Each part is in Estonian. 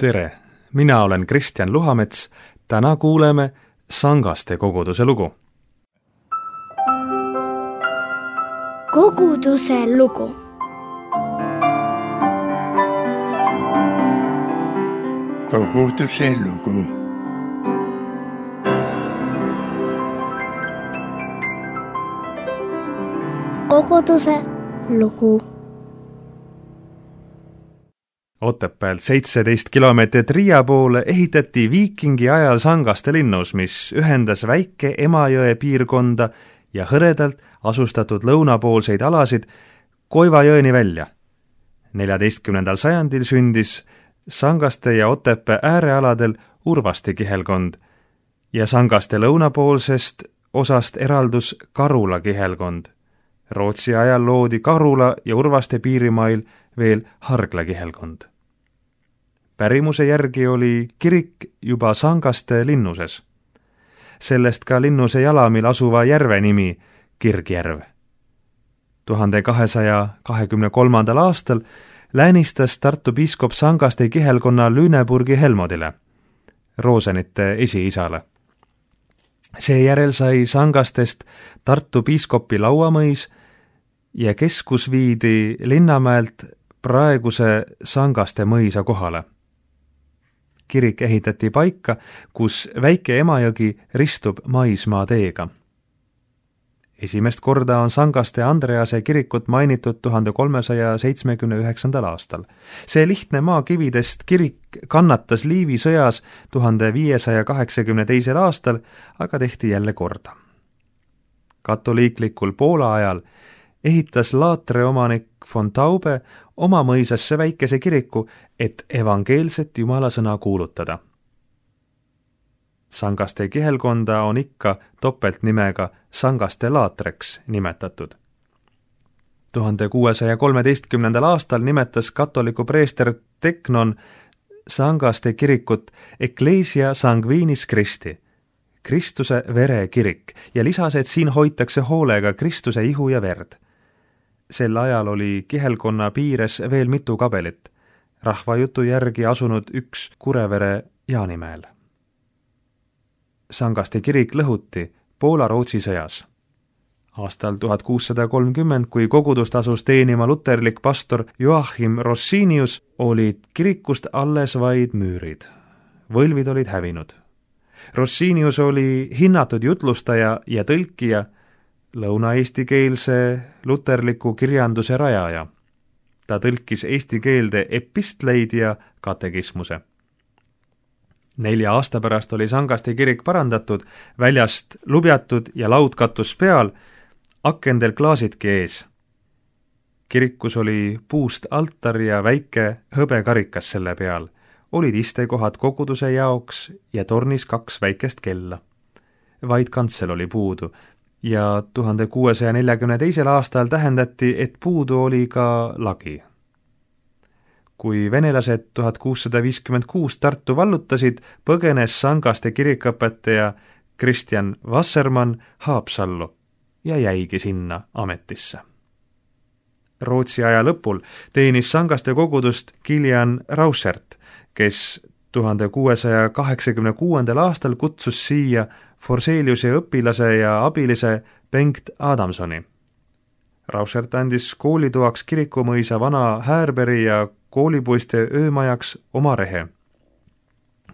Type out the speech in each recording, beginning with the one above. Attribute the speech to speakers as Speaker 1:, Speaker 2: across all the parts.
Speaker 1: Tere! Mina olen Kristjan Luhamets. Täna kuuleme Sangaste koguduse lugu.
Speaker 2: Koguduse lugu.
Speaker 3: Koguduse lugu.
Speaker 2: Koguduse lugu.
Speaker 1: Otepäält 17 kilomeetrit Riia poole ehitati viikingi ajal Sangaste linnus, mis ühendas väike Emajõe piirkonda ja hõredalt asustatud lõunapoolseid alasid Koivajõeni välja. 14. sajandil sündis Sangaste ja Otepää äärealadel Urvaste kihelkond ja Sangaste lõunapoolsest osast eraldus Karula kihelkond. Rootsi ajal loodi Karula ja Urvaste piirimail veel Hargla kihelkond. Pärimuse järgi oli kirik juba Sangaste linnuses. Sellest ka linnuse jalamil asuva järve nimi Kirgjärv. 1223. aastal läänistas Tartu piiskop Sangaste kihelkonna Lüneburgi Helmodile, Rosenite esiisale. Seejärel sai Sangastest Tartu piiskopi lauamõis ja keskus viidi Linnamäelt praeguse Sangaste mõisa kohale. Kirik ehitati paika, kus väike Emajõgi ristub maismaa teega. Esimest korda on Sangaste Andrease kirikut mainitud 1379. aastal. See lihtne maakividest kirik kannatas Liivi sõjas 1582. aastal, aga tehti jälle korda. Katoliiklikul Poola ajal ehitas Laatre omanik von Taube oma mõisasse väikese kiriku, et evangeelset jumalasõna kuulutada. Sangaste kihelkonda on ikka topeltnimega Sangaste Laatreks nimetatud. 1613. aastal nimetas katoliku preester Teknon Sangaste kirikut Ecclesia Sanguinis Christi, Kristuse vere kirik, ja lisas, et siin hoitakse hoolega Kristuse ihu ja verd. Sel ajal oli kihelkonna piires veel mitu kabelit, rahvajutu järgi asunud üks Kurevere Jaanimäel. Sangaste kirik lõhuti Poola-Rootsi sõjas. Aastal 1630, kui kogudust asus teenima luterlik pastor Joachim Rossinius, olid kirikust alles vaid müürid. Võlvid olid hävinud. Rossinius oli hinnatud jutlustaja ja tõlkija, lõuna-eestikeelse luterliku kirjanduse rajaja. Ta tõlkis eesti keelde epistleid ja katekismuse. 4 aasta pärast oli Sangaste kirik parandatud, väljast lubjatud ja laudkatus peal, akendel klaasidki ees. Kirikus oli puust altar ja väike hõbekarikas selle peal. Olid istekohad koguduse jaoks ja tornis 2 väikest kella. Vaid kantsel oli puudu ja 1642. aastal tähendati, et puudu oli ka lagi. Kui venelased 1656 Tartu vallutasid, põgenes Sangaste kirikõpetaja Kristjan Wassermann Haapsallu ja jäigi sinna ametisse. Rootsi aja lõpul teenis Sangaste kogudust Kilian Rauschert, kes 1686. aastal kutsus siia Forseliuse õpilase ja abilise Bengt Adamsoni. Rauschert andis koolitoaks kirikumõisa vana Häärberi ja koolipoiste öömajaks oma rehe.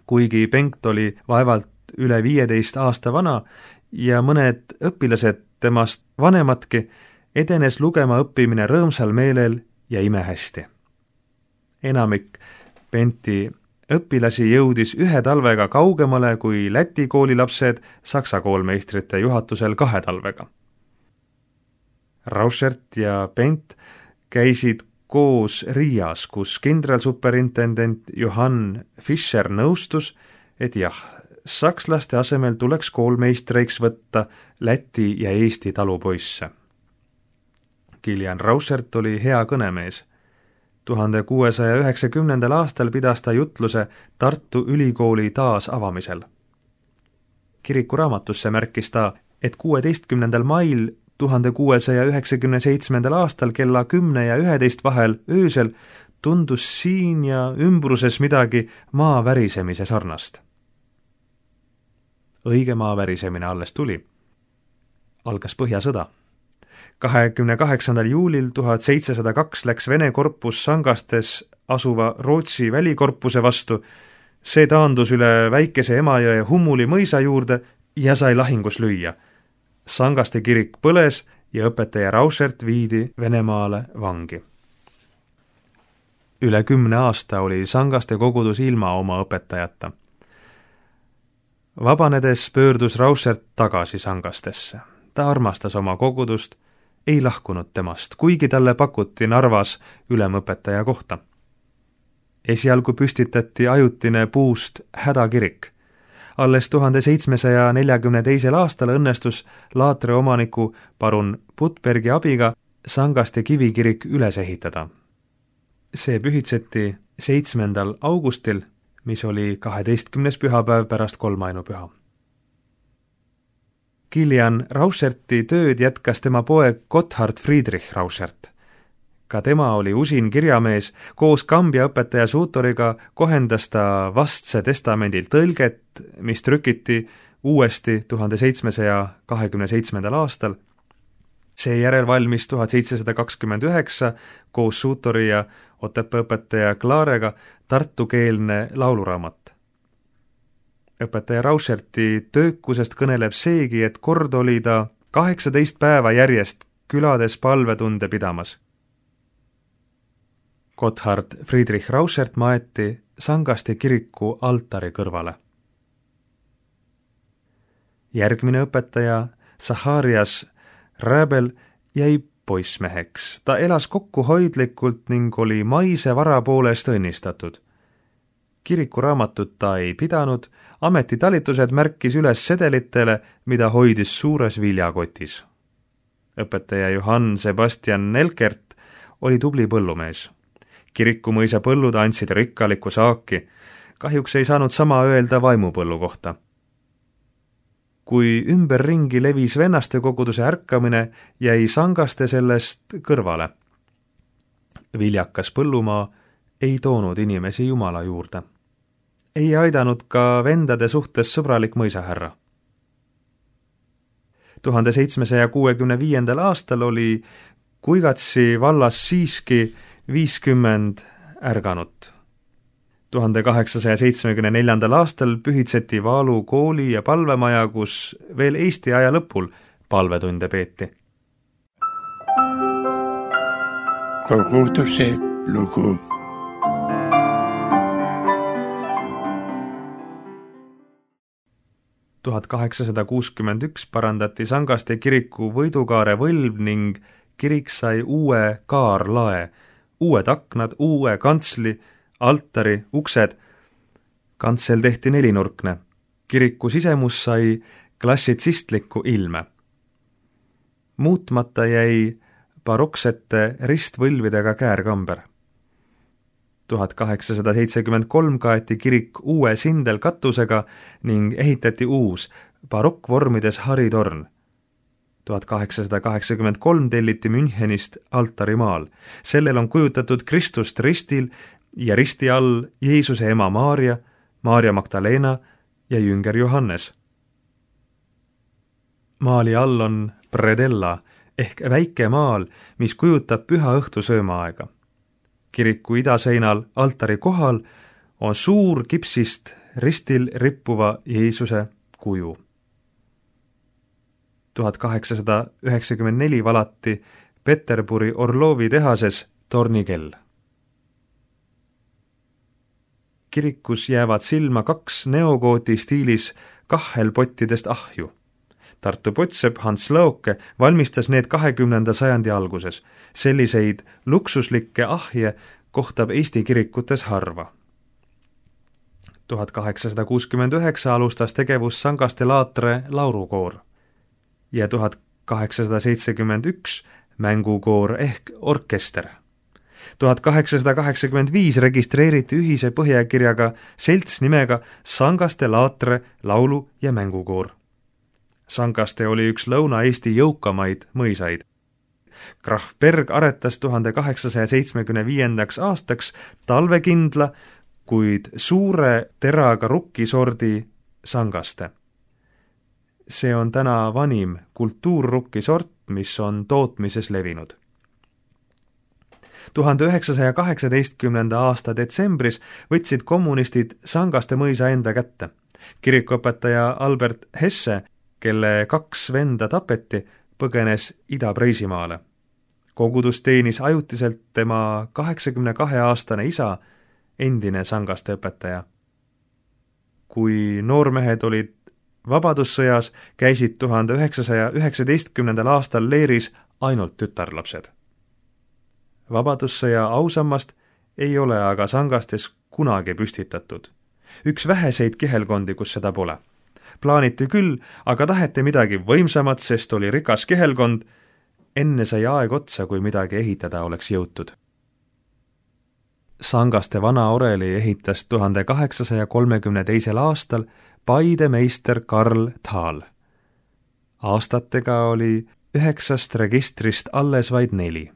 Speaker 1: Kuigi Bengt oli vaevalt üle 15 aasta vana ja mõned õpilased temast vanematki, edenes lugema õppimine rõõmsal meelel ja imehästi. Enamik Benti õpilasi jõudis 1 talvega kaugemale kui Läti koolilapsed saksa koolmeistrite juhatusel 2 talvega. Rauschert ja Bent käisid koos Riias, kus kindralsuperintendent Johann Fischer nõustus, et jah, sakslaste asemel tuleks koolmeistreiks võtta Läti ja Eesti talupoisse. Kilian Rauschert oli hea kõnemees. 1690. aastal pidas ta jutluse Tartu Ülikooli taasavamisel. Kirikuraamatusse märkis ta, et 16. mail 1697. aastal kella 10 ja 11 vahel öösel tundus siin ja ümbruses midagi maa värisemise sarnast. Õige maa värisemine alles tuli. Algas Põhjasõda. 28. juulil 1702 läks Vene korpus Sangastes asuva Rootsi välikorpuse vastu. See taandus üle väikese Emajõe Hummuli mõisa juurde ja sai lahingus lüüa. Sangaste kirik põles ja õpetaja Rauschert viidi Venemaale vangi. Üle 10 aasta oli Sangaste kogudus ilma oma õpetajata. Vabanedes pöördus Rauschert tagasi Sangastesse. Ta armastas oma kogudust, ei lahkunud temast, kuigi talle pakuti Narvas ülemõpetaja kohta. Esialgu püstitati ajutine puust hädakirik. Alles 1742. aastal õnnestus Laatre omaniku parun Putbergi abiga Sangaste kivikirik üles ehitada. See pühitseti 7. augustil, mis oli 12. pühapäev pärast kolmainupüha. Kilian Rauscherti tööd jätkas tema poeg Gotthard Friedrich Rauschert. Ka tema oli usin kirjamees, koos Kambja õpetaja Suutoriga kohendas ta vastse testamendi tõlget, mis trükiti uuesti 1727. aastal. Seejärel valmis 1729 koos Suutori ja Otepää õpetaja Klaarega tartukeelne lauluraamat. Õpetaja Rauscherti töökusest kõneleb seegi, et kord oli ta 18 päeva järjest külades palvetunde pidamas. Gotthard Friedrich Rauschert maeti Sangaste kiriku altari kõrvale. Järgmine õpetaja, Zacharias Räbel, jäi poissmeheks. Ta elas kokkuhoidlikult ning oli maise vara poolest õnnistatud. Kirikuraamatut ta ei pidanud, ametitalitused märkis üles sedelitele, mida hoidis suures viljakotis. Õpetaja Johann Sebastian Nelkert oli tubli põllumees. Kirikumõisa põllud andsid rikkalikku saaki, kahjuks ei saanud sama öelda vaimupõllu kohta. Kui ümberringi levis vennaste koguduse ärkamine, jäi Sangaste sellest kõrvale. Viljakas põllumaa ei toonud inimesi Jumala juurde. Ei aidanud ka vendade suhtes sõbralik mõisahärra. 1765. aastal oli Kuigatsi vallas siiski 50 ärganut. 1874. aastal pühitseti Vaalu kooli ja palvemaja, kus veel Eesti aja lõpul palvetunde peeti.
Speaker 3: Koguduse lugu.
Speaker 1: Tuhat 1861 parandati Sangaste kiriku võidukaare võlv ning kirik sai uue kaarlae, uued aknad, uue kantsli, altari, uksed. Kantsel tehti 4-nurkne. Kiriku sisemus sai klassitsistlikku ilme. Muutmata jäi baroksete ristvõlvidega käärkamber. 1873 kaeti kirik uue sindelkatusega ning ehitati uus barokkvormides haritorn. 1883 telliti Münchenist altarimaal. Sellel on kujutatud Kristust ristil ja risti all Jeesuse ema Maarja, Maarja Magdalena ja jünger Johannes. Maali all on predella ehk väike maal, mis kujutab püha õhtu söömaaega. Kiriku idaseinal altari kohal on suur kipsist ristil rippuva Jeesuse kuju. 1894 valati Peterburi Orlovi tehases tornikell. Kirikus jäävad silma 2 neogooti stiilis kahhelpottidest ahju. Tartu pottsepp Hans Lõoke valmistas need 20. sajandi alguses. Selliseid luksuslikke ahje kohtab Eesti kirikutes harva. 1869 alustas tegevus Sangaste Laatre laurukoor ja 1871 mängukoor ehk orkester. 1885 registreeriti ühise põhjakirjaga selts nimega Sangaste Laatre laulu- ja mängukoor. Sangaste oli üks Lõuna-Eesti jõukamaid mõisaid. Graf Berg aretas 1875. aastaks talvekindla, kuid suure teraga rukkisordi sangaste. See on täna vanim kultuurrukkisort, mis on tootmises levinud. 1918. aasta detsembris võtsid kommunistid Sangaste mõisa enda kätte. Kirikuõpetaja Albert Hesse, kelle 2 venda tapeti, põgenes Ida-Preisimaale. Kogudus teenis ajutiselt tema 82-aastane isa, endine Sangaste õpetaja. Kui noormehed olid vabadussõjas, käisid 1919. aastal leeris ainult tütarlapsed. Vabadussõja ausammast ei ole aga Sangastes kunagi püstitatud. Üks väheseid kihelkondi, kus seda pole. Plaaniti küll, aga taheti midagi võimsamat, sest oli rikas kihelkond. Enne sai aeg otsa, kui midagi ehitada oleks jõutud. Sangaste vana oreli ehitas 1832. aastal Paide meister Karl Thal. Aastatega oli 9 registrist alles vaid 4.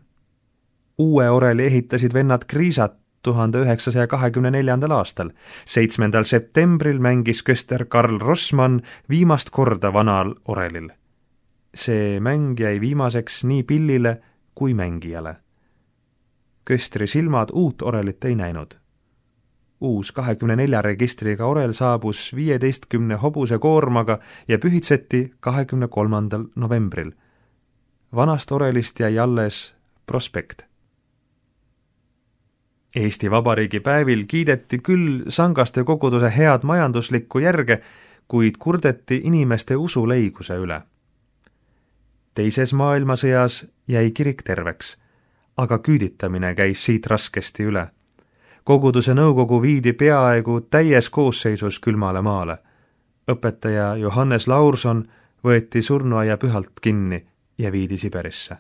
Speaker 1: Uue oreli ehitasid vennad Kriisat 1924. aastal. 7. septembril mängis köster Karl Rossmann viimast korda vanal orelil. See mäng jäi viimaseks nii pillile kui mängijale. Köstri silmad uut orelit ei näinud. Uus 24 registriga orel saabus 15 hobuse koormaga ja pühitseti 23. novembril. Vanast orelist jäi alles prospekt. Eesti Vabariigi päevil kiideti küll Sangaste koguduse head majanduslikku järge, kuid kurdeti inimeste usuleiguse üle. Teises maailmasõjas jäi kirik terveks, aga küüditamine käis siit raskesti üle. Koguduse nõukogu viidi peaaegu täies koosseisus külmale maale. Õpetaja Johannes Laurson võeti surnuaia pühalt kinni ja viidi Siberisse.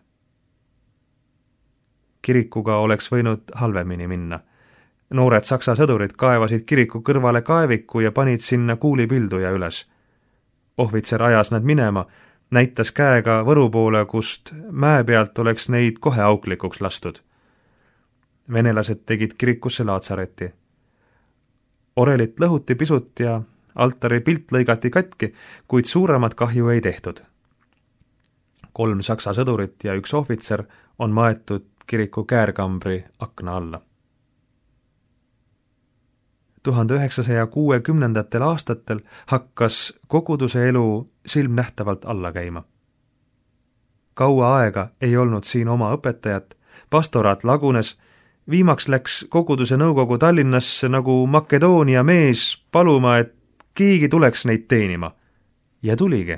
Speaker 1: Kirikuga oleks võinud halvemini minna. Noored saksa sõdurid kaevasid kiriku kõrvale kaeviku ja panid sinna kuulipilduja üles. Ohvitser ajas nad minema, näitas käega Võru poole, kust mäe pealt oleks neid kohe auklikuks lastud. Venelased tegid kirikusse laatsareti. Orelit lõhuti pisut ja altari pilt lõigati katki, kuid suuremat kahju ei tehtud. 3 saksa sõdurit ja 1 ohvitser on maetud kiriku käärkambri akna alla. 1960. aastatel hakkas koguduse elu silmnähtavalt alla käima. Kaua aega ei olnud siin oma õpetajat, pastoraat lagunes, viimaks läks koguduse nõukogu Tallinnasse nagu Makedoonia mees paluma, et keegi tuleks neid teenima. Ja tuligi.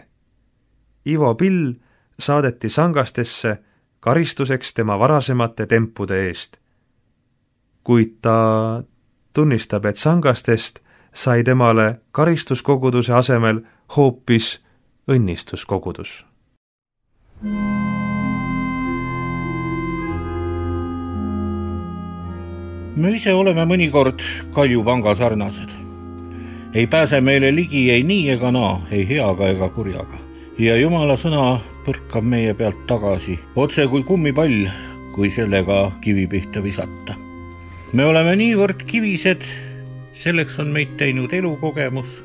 Speaker 1: Ivo Pill saadeti Sangastesse karistuseks tema varasemate tempude eest. Kuid ta tunnistab, et Sangastest sai temale karistuskoguduse asemel hoopis õnnistuskogudus.
Speaker 4: Me ise oleme mõnikord kaljupanga sarnased. Ei pääse meile ligi ei nii ega naa, ei heaga ega kurjaga. Ja Jumala sõna põrkab meie pealt tagasi, otse kui kummipall, kui sellega kivi pihta visata. Me oleme niivõrd kivised, selleks on meid teinud elukogemus,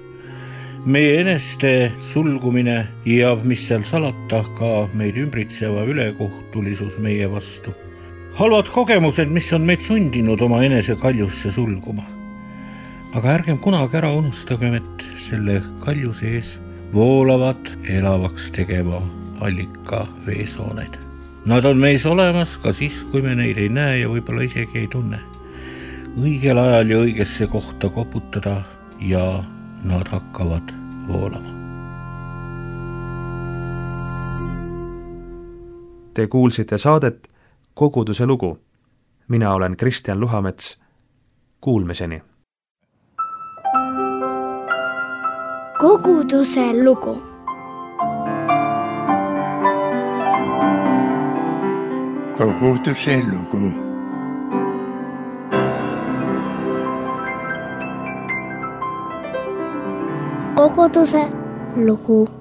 Speaker 4: meie eneste sulgumine ja mis seal salata, ka meid ümbritseva ülekohtulisus meie vastu. Halvad kogemused, mis on meid sundinud oma enese kaljusse sulguma. Aga ärgem kunagi ära unustagem, et selle kaljuse ees voolavad elavaks tegeva allika veesooned. Nad on meis olemas ka siis, kui me neid ei näe ja võib-olla isegi ei tunne. Õigel ajal ja õigesse kohta koputada ja nad hakkavad voolama.
Speaker 1: Te kuulsite saadet Koguduse lugu. Mina olen Kristjan Luhamets. Kuulmiseni.
Speaker 2: Koguduse lugu.
Speaker 3: Koguduse lugu.
Speaker 2: Koguduse lugu.